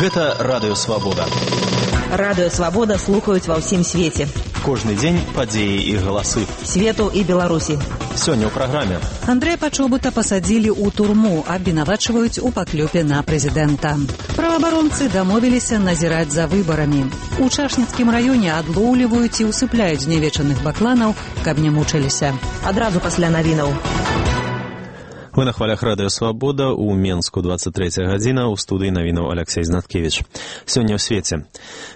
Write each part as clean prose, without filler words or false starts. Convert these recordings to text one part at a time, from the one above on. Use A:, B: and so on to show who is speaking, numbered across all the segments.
A: Гэта Радыё Свабода.
B: Радыё Свабода слухаюць ва ўсім свеце.
A: Кожны дзень падзеі і галасы.
B: Свету і Беларусі.
A: Сёння ў праграме.
C: Андрэя Пачобута пасадзілі ў турму, абвінавачваюць у паклёпе на прэзідэнта. Праваабаронцы дамовіліся назіраць за выбарамі. У Чашніцкім раёне адлоўліваюць і ўсыпляюць знявечаных бакланаў, каб не мучыліся.
B: Адразу пасля навінаў.
A: Вы на хвалях Радыё Свабода, у Менску 23 гадзіна, у студыі навінаў Алексей Знаткевіч. Сёння ў свеце.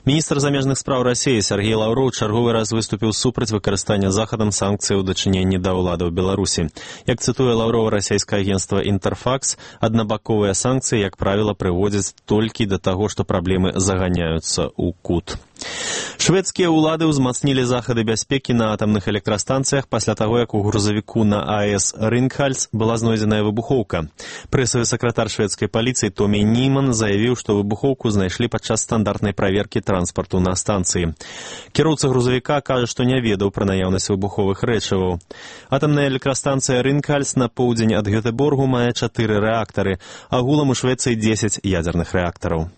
A: Міністр замежных спраў Расіі Сергей Лаўроў чарговы раз выступіў супраць выкарыстання захадам санкцый у дачыненні да ўладаў Беларусі. Як цытуе Лаўрова расійскае агенцтва «Інтэрфакс», аднабаковыя санкцыі, як правіла, прыводзяць толькі да таго, што праблемы заганяюцца ў кут. Шведскія ўлады ўзмацнілі захады бяспекі на атамных электрастанцыях пасля таго, як у грузавіку на АЭС Рынкхальс была знойдзеная выбухоўка. Прэсавы сакратар шведскай паліцыі Томі Німан заявіў, што выбухоўку знайшлі падчас стандартнай праверкі транспарту на станцыі. Кіроўца грузавіка кажа, што не ведаў пра наяўнасць выбуховых рэчываў. Атамная электрастанцыя Рынкхальс на поўдзень ад Гётэборгу мае 4 рэактары, агулам у Швецыі 10 ядзерных рэактараў.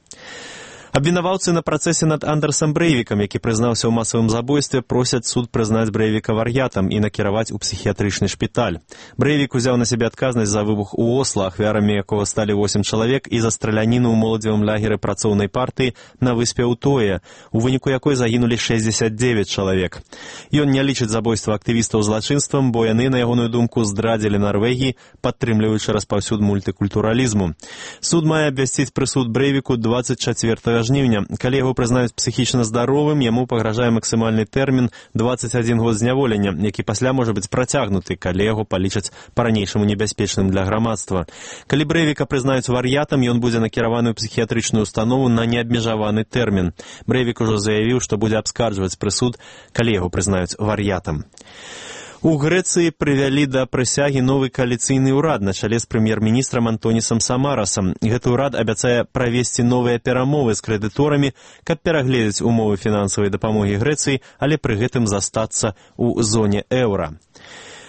A: Абвінаваўцы на працэсе над Андерсам Брэйвікам, які прызнаўся ў масавым забойстве, просяць суд прызнаць Брэйвіка вар'ятам і накіраваць у псіхіятрычны шпіталь. Брэйвік узяў на сябе адказнасць за выбух у Осла, ахвярамі якога сталі 8 чалавек, і за страляніну ў моладзевым лагеры працоўнай партыі на выспе Утоя, у выніку якой загінулі 69 чалавек. Ён не лічыць забойства актывістаў злачынствам, бо яны, на ягоную думку, здрадзілі Нарвегіі, падтрымліваючы распаўсюд мультыкультуралізму. Суд мае абвясціць прысуд Брэйвіку 24 жніўня. Калі яго прызнаюць псіхічна здаровым, яму пагражае максімальны тэрмін 21 год зняволення, які пасля можа быць працягнуты, калі яго палічаць па-ранейшаму небяспечным для грамадства. Калі Брэйвіка прызнаюць вар'ятам, ён будзе накіраваны ў псіхіятрычную установу на неабмежаваны тэрмін. Брэйвік ужо заявіў, што будзе абскарджваць прысуд, калі яго прызнаюць вар'ятам. У Грэцыі прывялі да прысягі новы кааліцыйны ўрад на чале з прэм'ер-міністрам Антонісам Самарасам. Гэты ўрад абяцае правесці новыя перамовы з крэдыторамі, каб перагледзець умовы фінансавай дапамогі Грэцыі, але пры гэтым застацца ў зоне еўра.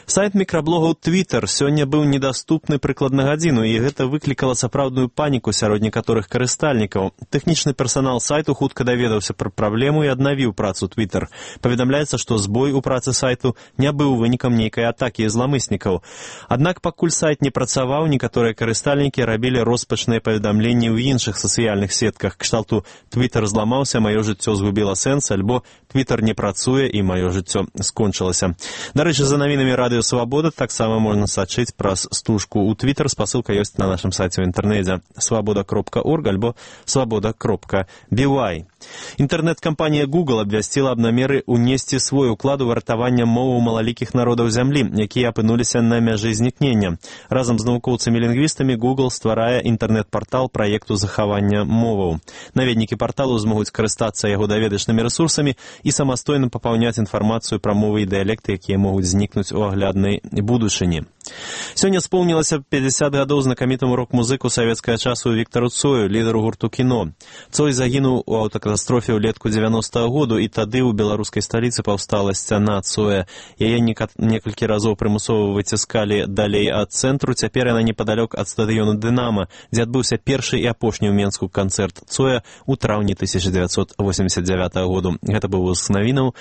A: Сайт мікраблогаў Twitter сёння быў недаступны прыкладна гадзіну, і гэта выклікала сапраўдную паніку сярод некаторых карыстальнікаў. Тэхнічны персанал сайту хутка даведаўся пра праблему і аднавіў працу Twitter. Паведамляецца, што збой у працы сайту не быў вынікам нейкай атакі зламыснікаў. Аднак пакуль сайт не працаваў, некаторыя карыстальнікі рабілі роспачныя паведамленні ў іншых сацыяльных сетках. Кшталту «Twitter зламаўся, маё жыццё згубіла сэнс», альбо «Twitter не працуе і маё жыццё скончылася». Дарэчы, за навінамі Радыё Свабода таксама можна сачыць праз стужку ў Twitter. Спасылка ёсць на нашым сайце ў інтэрнэце свабода.орг альбо свабода.by. Інтэрнэт-кампанія Google абвясціла аб намеры ўнесці свой уклад у вартаванне моваў малалікіх народаў зямлі, якія апынуліся на мяжы знікнення. Разам з навукоўцамі-лінгвістамі Google стварае інтэрнэт-партал праекту захавання моваў. Наведнікі парталу змогуць карыстацца яго даведачнымі рэсурсамі і самастойна папаўняць інфармацыю пра мовы і дыялекты, якія могуць знікнуць у агляднай будучыні. Сёння споўнілася 50 гадоў знакамітаму рок-музыку савецкага часу Віктару Цою, лідару гурту «Кіно». Цой загінуў у аўтакатастрофе ўлетку 90-го году, і тады ў беларускай сталіцы паўстала сцяна Цоя. Яе некалькі разоў прымусова выціскалі далей ад цэнтру, цяпер яна непадалёк ад стадыёну «Дынама», дзе адбыўся першы і апошні ў Менску канцэрт Цоя ў траўні 1989 году. Гэта быў выпуск навінаў.